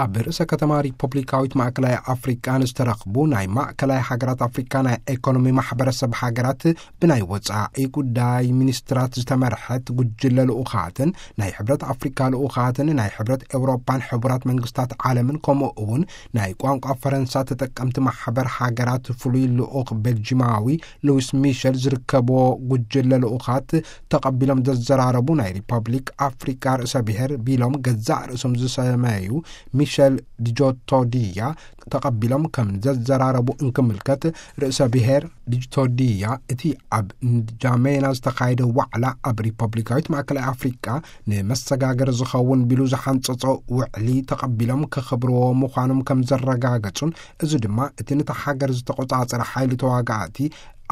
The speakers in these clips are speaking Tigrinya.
ኣብ ርእሰ ከተማ ሪፐብሊካዊት ማእከላይ ኣፍሪቃ ንዝተረኽቡ ናይ ማእከላይ ሃገራት ኣፍሪቃ ናይ ኢኮኖሚ ማሕበረሰብ ሃገራት ብናይ ወጻኢ ጉዳይ ሚኒስትራት ዝተመርሐት ጉጅለ ልኡኻትን ናይ ሕብረት ኣፍሪካ ልኡኻትን ናይ ሕብረት ኤውሮጳን ሕቡራት መንግስታት ዓለምን ከምኡ እውን ናይ ቋንቋ ፈረንሳ ተጠቀምቲ ማሕበር ሃገራት ፍሉይ ልኡኽ ቤልጂማዊ ሉዊስ ሚሸል ዝርከብዎ ጉጅለ ልኡኻት ተቐቢሎም ዘዘራረቡ ናይ ሪፐብሊክ ኣፍሪካ ርእሰ ብሔር ቢሎም ገዛእ ርእሶም ዝሰመዩ ሚሸል ዲጆቶዲያ ተቐቢሎም ከም ዘዘራረቡ እንክምልከት ርእሰ ብሔር ዲጆቶዲያ እቲ ኣብ ንጃሜና ዝተኻየደ ዋዕላ ኣብ ሪፐብሊካዊት ማእከላይ ኣፍሪቃ ንመሰጋገር ዝኸውን ቢሉ ዝሓንጸጾ ውዕሊ ተቐቢሎም ከኽብርዎ ምዃኖም ከም ዘረጋገጹን እዚ ድማ እቲ ነታ ሃገር ዝተቆጻጸረ ሓይሊ ተዋጋእቲ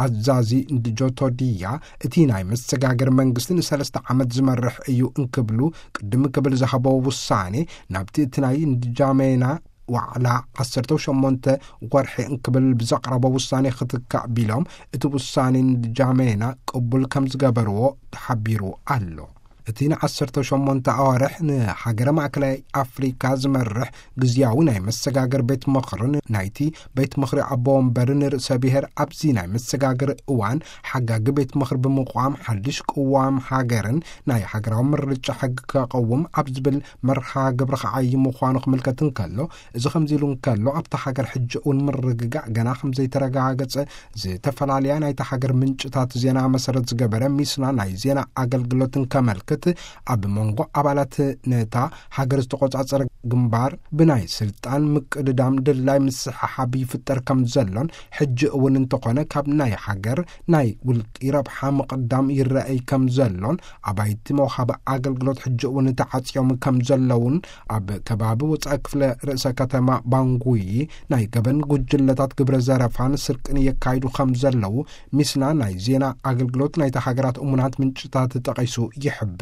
ኣዛዚ ንጆቶዲያ እቲ ናይ መሰጋገር መንግስቲ ንሰለስተ ዓመት ዝመርሕ እዩ እንክብሉ ቅድም ክብል ዝሃቦ ውሳኔ ናብቲ እቲ ናይ ንጃሜና ዋዕላ ዓሰርተ ሸሞንተ ወርሒ እንክብል ብዘቕረቦ ውሳኔ ክትካእ ቢሎም እቲ ውሳኔ ንጃሜና ቅቡል ከም ዝገበርዎ ተሓቢሩ ኣሎ። እቲ ንዓሰርተ ሸሞንተ ኣዋርሕ ንሃገረ ማእከላይ ኣፍሪካ ዝመርሕ ግዝያዊ ናይ መሰጋገር ቤት ምኽርን ናይቲ ቤት ምኽሪ ኣቦ ወንበርን ርእሰ ብሔር ኣብዚ ናይ መሰጋገር እዋን ሓጋጊ ቤት ምኽሪ ብምቋም ሓድሽ ቅዋም ሃገርን ናይ ሃገራዊ ምርጫ ሕጊ ከቐውም ኣብ ዝብል መርሃ ግብሪ ክዓይ ምዃኑ ክምልከት እንከሎ እዚ ከምዚ ኢሉ እንከሎ ኣብታ ሃገር ሕጂ እውን ምርግጋእ ገና ከም ዘይተረጋገጸ ዝተፈላለያ ናይታ ሃገር ምንጭታት ዜና መሰረት ዝገበረ ሚስና ናይ ዜና ኣገልግሎት እንከመልክት ኣብ መንጎ ኣባላት ነታ ሃገር ዝተቆጻጸረ ግንባር ብናይ ስልጣን ምቅድዳም ድላይ ምስሕሓብ ይፍጠር ከም ዘሎን ሕጂ እውን እንተኾነ ካብ ናይ ሃገር ናይ ውልቂ ረብሓ ምቕዳም ይረኣይ ከም ዘሎን ኣባይቲ መውሃቢ ኣገልግሎት ሕጂ እውን ተዓጽዮም ከም ዘለውን ኣብ ከባቢ ወጻኢ ክፍለ ርእሰ ከተማ ባንጉይ ናይ ገበን ጉጅለታት ግብረ ዘረፋን ስርቅን የካይዱ ከም ዘለዉ ሚስና ናይ ዜና ኣገልግሎት ናይታ ሃገራት እሙናት ምንጭታት ጠቒሱ ይሕብር።